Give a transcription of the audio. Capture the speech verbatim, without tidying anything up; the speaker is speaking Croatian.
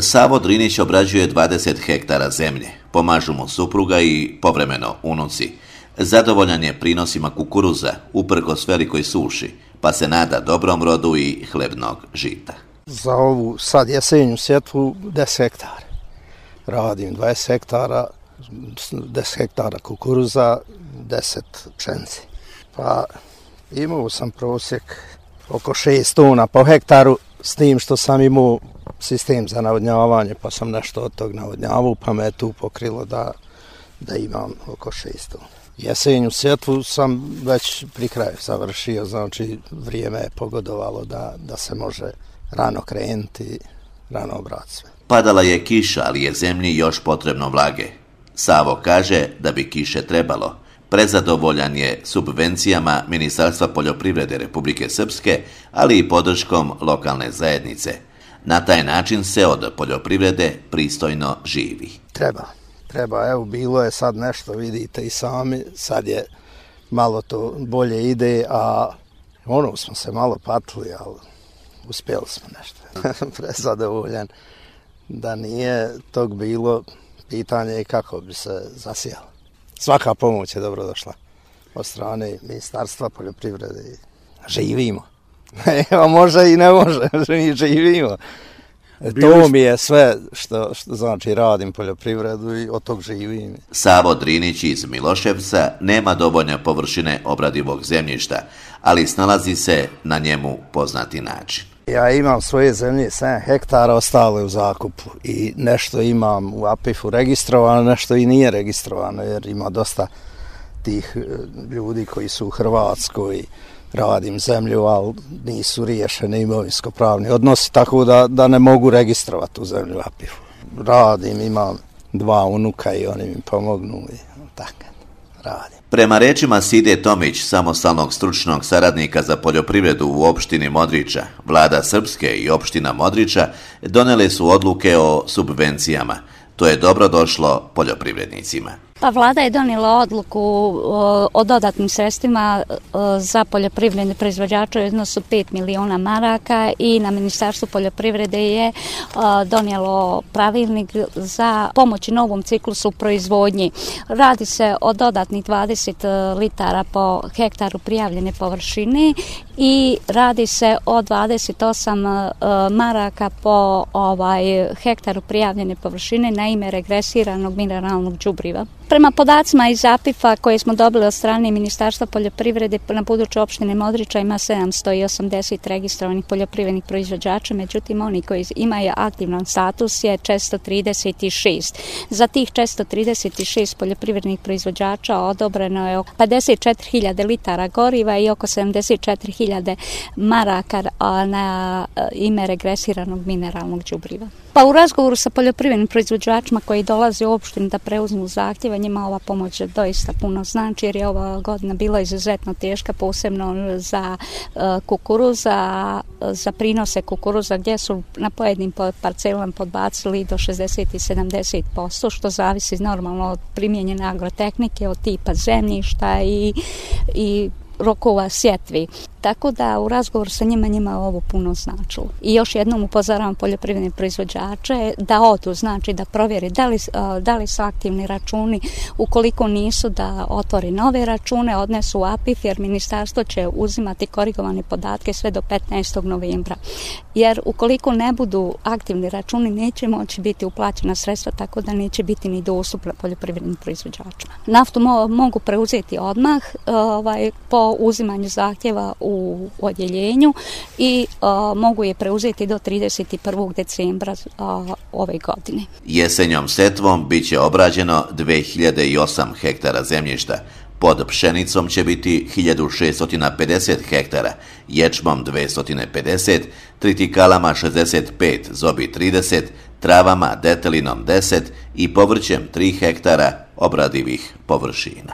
Savo Drinić obrađuje dvadeset hektara zemlje, pomažu mu supruga i povremeno unuci. Zadovoljan je prinosima kukuruza, uprkos velikoj suši, pa se nada dobrom rodu i hlebnog žita. Za ovu sad jesenju sjetvu deset hektara. Radim dvadeset hektara, deset hektara kukuruza, deset pšenice. Pa imao sam prosjek oko šest tona po hektaru, s tim što sam imao sistem za navodnjavanje, pa sam nešto od tog navodnjavao, pa me je tu pokrilo da, da imam oko šest tona. Jesenju sjetvu sam već pri kraju završio, znači vrijeme je pogodovalo da, da se može rano krenuti, rano obrati sve. Padala je kiša, ali je zemlji još potrebno vlage. Savo kaže da bi kiše trebalo. Prezadovoljan je subvencijama Ministarstva poljoprivrede Republike Srpske, ali i podrškom lokalne zajednice. Na taj način se od poljoprivrede pristojno živi. Treba, treba. Evo, bilo je sad nešto, vidite i sami, sad je malo to bolje ide, a ono smo se malo patili, ali uspjeli smo nešto. Prezadovoljan. Da nije tog bilo, pitanje je kako bi se zasijalo. Svaka pomoć je dobro došla od strane Ministarstva poljoprivrede. Živimo. Evo, može i ne može, mi živimo. To mi je sve što, što znači radim poljoprivredu i od tog živim. Savo Drinić iz Miloševca nema dovoljne površine obradivog zemljišta, ali snalazi se na njemu poznati način. Ja imam svoje zemlje sedam hektara, ostalo je u zakupu i nešto imam u A P I F-u registrovano, nešto i nije registrovano, jer ima dosta tih ljudi koji su u Hrvatskoj, radim zemlju, ali nisu riješeni imovinsko-pravni odnosi, tako da, da ne mogu registrovati tu zemlju u A P I F-u. Radim, imam dva unuka i oni mi pomognu i tako radim. Prema rečima Side Tomić, samostalnog stručnog saradnika za poljoprivredu u opštini Modriča, vlada Srpske i opština Modriča donele su odluke o subvencijama. To je dobro došlo poljoprivrednicima. Pa vlada je donijela odluku o, o dodatnim sredstvima o, za poljoprivredne proizvođače u iznosu pet miliona maraka i na Ministarstvu poljoprivrede je o, donijelo pravilnik za pomoć novom ciklusu proizvodnji. Radi se o dodatnih dvadeset litara po hektaru prijavljene površine i radi se o dvadeset osam o, maraka po ovaj hektaru prijavljene površine na ime regresiranog mineralnog đubriva. Prema podacima iz A P I F-a koje smo dobili od strane Ministarstva poljoprivrede, na području opštine Modriča ima sedamsto osamdeset registrovanih poljoprivrednih proizvođača, međutim oni koji imaju aktivan status je četiristo trideset šest. Za tih četiristo trideset šest poljoprivrednih proizvođača odobreno je oko pedeset četiri hiljade litara goriva i oko sedamdeset četiri hiljade maraka na ime regresiranog mineralnog đubriva. Pa u razgovoru sa poljoprivrednim proizvođačima koji dolaze u opštinu da preuzmu zahtjeve, njima ova pomoć doista puno znači, jer je ova godina bila izuzetno teška, posebno za uh, kukuruza, za prinose kukuruza gdje su na pojedinim parcelama podbacili do šezdeset i sedamdeset posto, što zavisi normalno od primjenjene agrotehnike, od tipa zemljišta i, i rokova sjetvi. Tako da u razgovoru sa njima njima ovo puno značilo. I još jednom upozoravam poljoprivredne proizvođače da odu, znači da provjeri da li, da li su aktivni računi, ukoliko nisu da otvori nove račune, odnesu u A P I F, jer ministarstvo će uzimati korigovane podatke sve do petnaestog novembra. Jer ukoliko ne budu aktivni računi, neće moći biti uplaćena sredstva, tako da neće biti ni dostupna poljoprivrednim proizvođačima. Naftu mo- mogu preuzeti odmah ovaj, po uzimanju zahtjeva u odjeljenju i a, mogu je preuzeti do trideset prvog decembra a, ove godine. Jesenjom setvom bit će obrađeno dve hiljade osam hektara zemljišta. Pod pšenicom će biti hiljadu šeststo pedeset hektara, ječmom dvjesto pedeset, tritikalama šezdeset pet, zobi trideset, travama, detelinom deset i povrćem tri hektara obradivih površina.